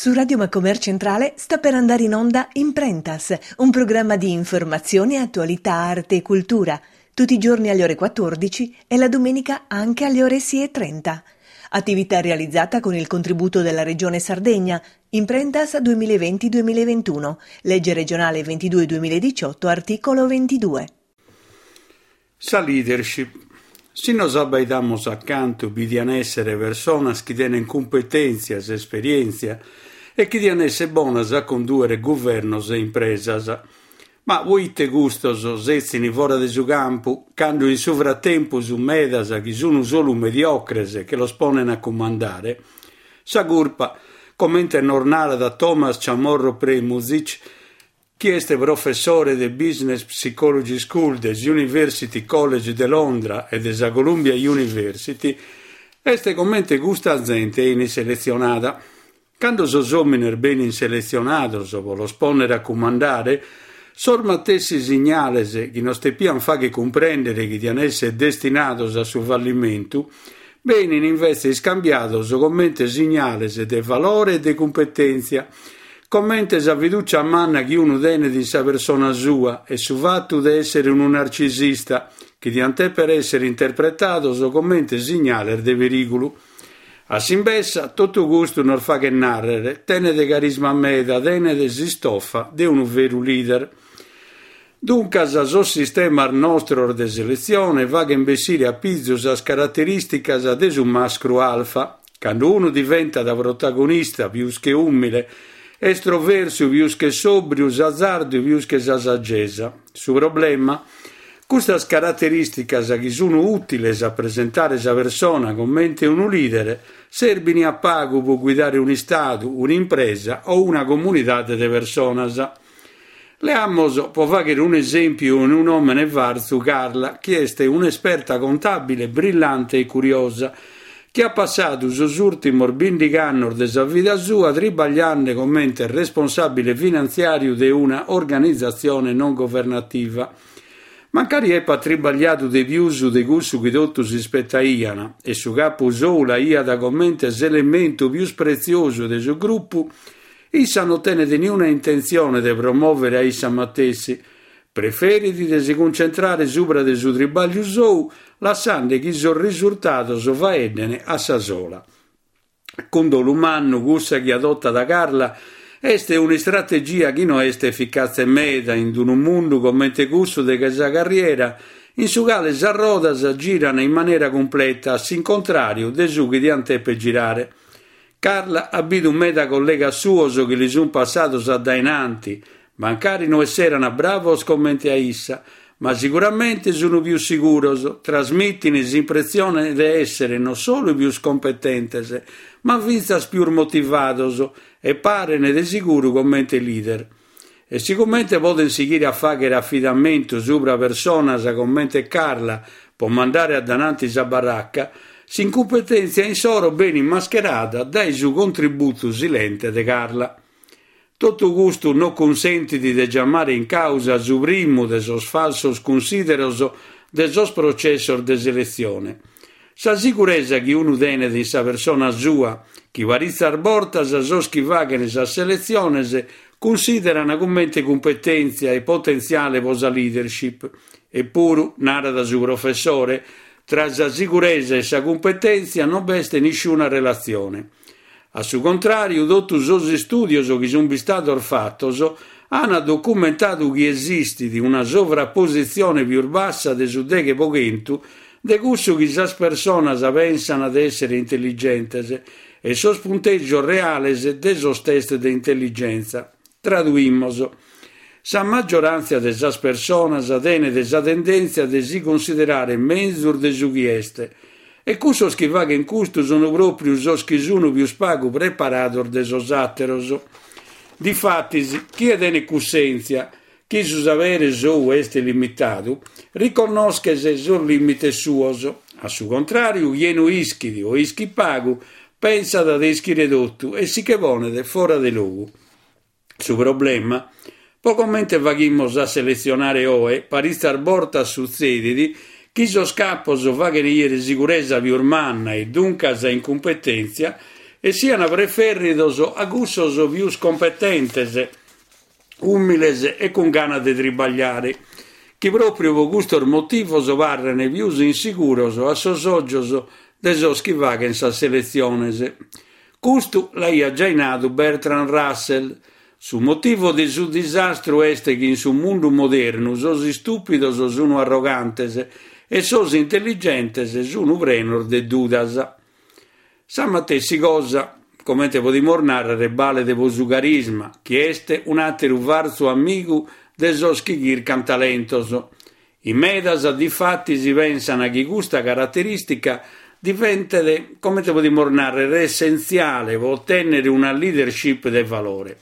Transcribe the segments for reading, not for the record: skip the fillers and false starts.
Su Radio Macomer Centrale sta per andare in onda Imprentas, un programma di informazione, attualità, arte e cultura, tutti i giorni alle ore 14 e la domenica anche alle ore 6.30. Attività realizzata con il contributo della Regione Sardegna, Imprentas 2020-2021, legge regionale 22-2018, articolo 22. Sa leadership. Si nos abbaidamus a cantu bi dian èssere personas chi tenen cumpetèntzias e esperièntzia e chi dian èssere bonas a condùere guvernos e impresas. Ma poite custos setzin fora de su campu, cando in su fratempus medas chi sun solu mediocres che los ponen a cumandare? Sa curpa, comente nos narat Thomas Chamorro Premuzic, chi est professore de Business Psychology School de s'University College de Londra e de sa Columbia University, est comente custa zente 'enit seletzionada. Cando sos òmines benint seletzionados pro los pònnere a cumandare, sos matessi signales chi nos tepiant fàghere cumprèndere chi diant èssere destinados a su fallimentu, benint invetze iscambiados comente signales de valore e de cumpetèntzia, comente sa fidùcia manna chi unu tenet in sa persona sua e su fatu de èssere unu narcisista, chi diant dèpere èssere interpretados comente signales de perìgulu. A s'imbessa, totu custu nos faghet nàrrere, tenet carisma meda, tenet s'istofa de unu veru leader. Duncas sos sistemas nostros de seletzione faghent bessire a pizu sas caraterìsticas de su mascru alfa, cando unu diventat protagonista pius che ùmile, estroversu pius che sòbriu, s'azardu pius che sa sagesa. Su problema? Custas caraterìsticas chi sun ùtiles a presentare sa persona comente unu leader, serbin a pagu pro guidare un'istadu, un'impresa o una comunidade de personas. Leamos, pro fàghere un'esèmpiu unu nòmene fartzu, Carla, chi est un'esperta contàbile brillante e curiosa, chi at passadu sos ùrtimos bìndighi annos de sa vida sua tribagliende comente responsàbile finantziàriu de una organizatzione non governativa. Mancari epat tribagliadu de pius de cussu chi totus ispetaian e su capu sou l'aiat comente s'elementu pius pretziosu de su grupu, Issa no tenet niuna intentzione de promòvere a issa matessi, preferit de si cuncentrare subra de su tribagliu sou, lassende chi sos risurtados faedden a sa sola. Cun dolu mannu cussa chi adotat Carla est un'istrategia chi no est eficatze meda in unu mundu comente cussu de sa carriera in su cale sas rodas giran in manera cumpleta a s'incontràriu de su chi diant dèpere girare. Carla at bidu meda collegas suos chi li sunt passados a dae nanti, mancari no esserant bravos comente a issa, ma siguramente sunu pius siguros, trasmitin s'impressione de èssere no solu pius competentes, ma fintzas pius motivados e paren de siguru comente leader. E sigomente podent sighire a fàghere afidamentu subra personas comente Carla pro mandare a dananti sa barraca, s'incumpetèntzia insoro benit mascherada dae su contributu silente de Carla. Totu custu no cunsentit de giamare in càusa su primu de sos falsos cunsideros de sos processos de seletzione. Sa siguresa chi unu tenet in sa persona sua, chi paritzas bortas sos chi faghent sas seletziones cunsìderant comente cumpetèntzia e potentziale pro sa leadership. Epuru, narat su professore, tra sa siguresa e sa cumpetèntzia non b'est nisciuna relatzione. A su contràriu, totu sos istùdios chi sunt bistados fatos ant documentadu chi esistit una sovrapositzione pius bassa de su deghe pro chentu de cussu chi sas personas pensant de èssere intelligentes e sos puntègios reales de sos test de intelligentza. Traduimos. Sa maggioràntzia de sas personas tenet sa tendèntzia de si cunsiderare menzus de su chi est, e cussos chi faghent custu sunt pròpriu sos chi sunt pius pagu preparados de sos àteros. Difatis, chie tenet cussèntzia chi su sapere sou est limitadu, riconnoschet sos lìmites suos. A su contràriu, chie no ischit o ischit pagu, pensat de ischire totu e si che ponet fora de logu. Su problema? Pro comente faghimus a seletzionare oe, paritzas bortas sutzedit chi sos capos faghent 'iere siguresa pius manna e duncas incumpetèntzia. e sian prefèrridos a cussos pius competentes, ùmiles e cun gana de tribagliare, chi pròpriu pro custos motivos parren pius insiguros a sos ògios de sos chi faghen sas seletziones. Custu l'aiat giai nadu Bertrand Russell. Su motivu de su disastru est chi in su mundu modernu sos istùpidos sunu arrogantes e sos intelligentes sunu prenos de dudas. Sa matessi cosa, comente podimus nàrrere, balet pro su carisma, chi est un'àteru fartzu amigu de sos chi chircant talentos. In medas, difatis, pensant chi custa caraterìstica diventet, comente podimus nàrrere, essentziale pro otènnere una leadership de valore.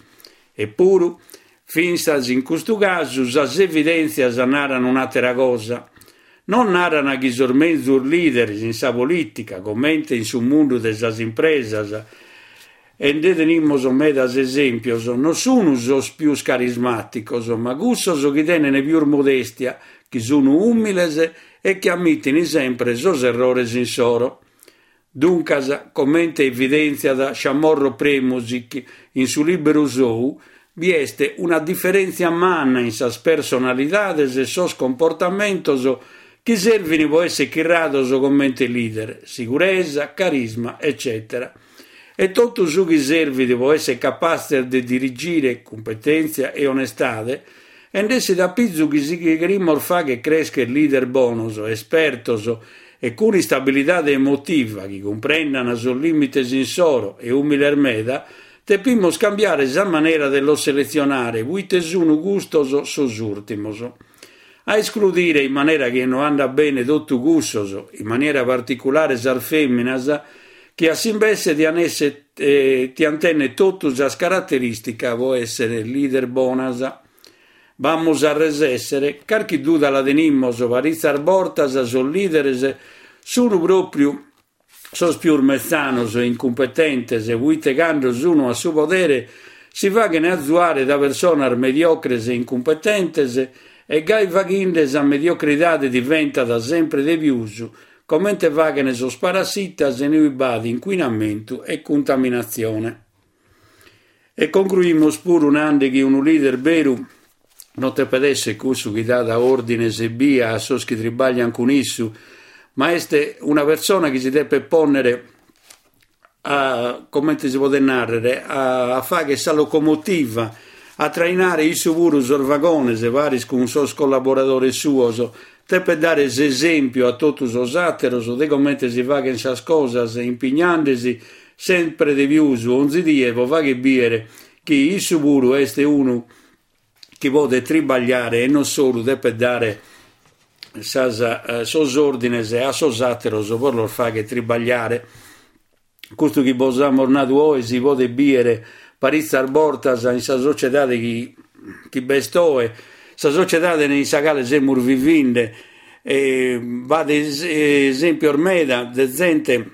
Epuru, fintzas in custu casu, sas evidèntzias naran un'àtera cosa. Non naran chi sos menzus leaders in sa polìtica, comente in su mundu de sas impresas, e nde tenimus medas esèmpios, non sun sos pius carismàticos, ma cussos chi tenen pius modestia, chi sun ùmiles e chi ammitin sempre sos errores insoro. Duncas, comente evidèntziat Chamorro Premuzic in su lìberu sou, bi est una diferèntzia manna in sas personalidades e sos comportamentos chi servin pro èssere chirrados comente leader, siguresa, carisma, eccètera E totu su chi servit pro èssere capatzes de dirigire, cumpetèntzia e onestade, e nd'essit a pizu chi si cherimus fagher crescher leader bonos, espertos e cun istabilidade emotiva chi cumprendan sos lìmites insoro e ùmiles meda, depimus cambiare sa manera de los seletzionare puite sunu custos sos ùrtimos. A escludire in manera chi no andat bene totu cussos, in manera particulare sas fèminas, chi a s'imbesse tian esser tian tenner totu sas caraterìsticas pro èssere leader bonas. B'amus a resèssere? Carchi duda la tenimus, paritzas bortas sos lìderes sunu pròpriu sos pius metzanos e incumpetentes, puite cando sunu a su podere si faghen azuare da personas mediocres e incumpetentes e gai faghinde sa mediocridade diventat sempre de pius, comente faghen sos parassitas inue b'at incuinamentu e cuntaminatzione. E concruimus puru nande chi unu leader beru non depet èssere cussu chi dat òrdines ebbia a sos chi tribaglian cun issu, ma est una persona chi si depet pònnere a, comente si podet nàrrere, a fàghere sa locomotiva, a trainare issu puru sos vagones paris cun sos collaboradores suos, depet dare s'esèmpiu a totu sos àteros de comente si faghen sas cosas impignandesi sempre de pius onzi die pro fagher bìere chi issu puru est unu chi podet tribagliare e non solu depet dare sas sos òrdines a sos àteros pro los fagher tribagliare. Custu chi bos amus nadu oe si podet bìere paritzas bortas in sa sociedade chi chi b'est oe, sa sociedade in sa cale semus vivinde, e b'at esèmpios meda de zente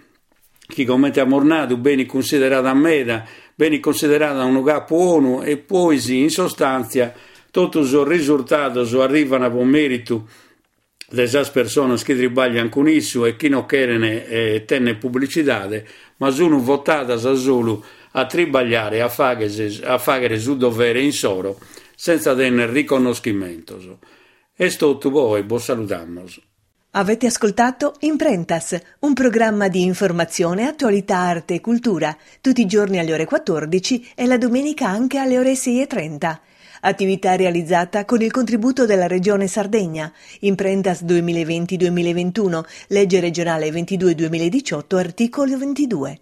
chi comente amus nadu benit cunsiderada meda, benit cunsiderada unu capu 'onu e pois in sostàntzia totu sos risurtados arrivan pro meritu de sas personas chi tribaglian cun issu e chi non cheren tenner pubblicidade, ma sun votadas solu a tribagliare e a a fagher su dovere insoro senza tenner riconnoschimentos. Est totu po oe, bos saludamos. Avete ascoltato Imprentas, un programma di informazione, attualità, arte e cultura, tutti i giorni alle ore 14 e la domenica anche alle ore 6.30. Attività realizzata con il contributo della Regione Sardegna. Imprentas 2020-2021, legge regionale 22-2018, articolo 22.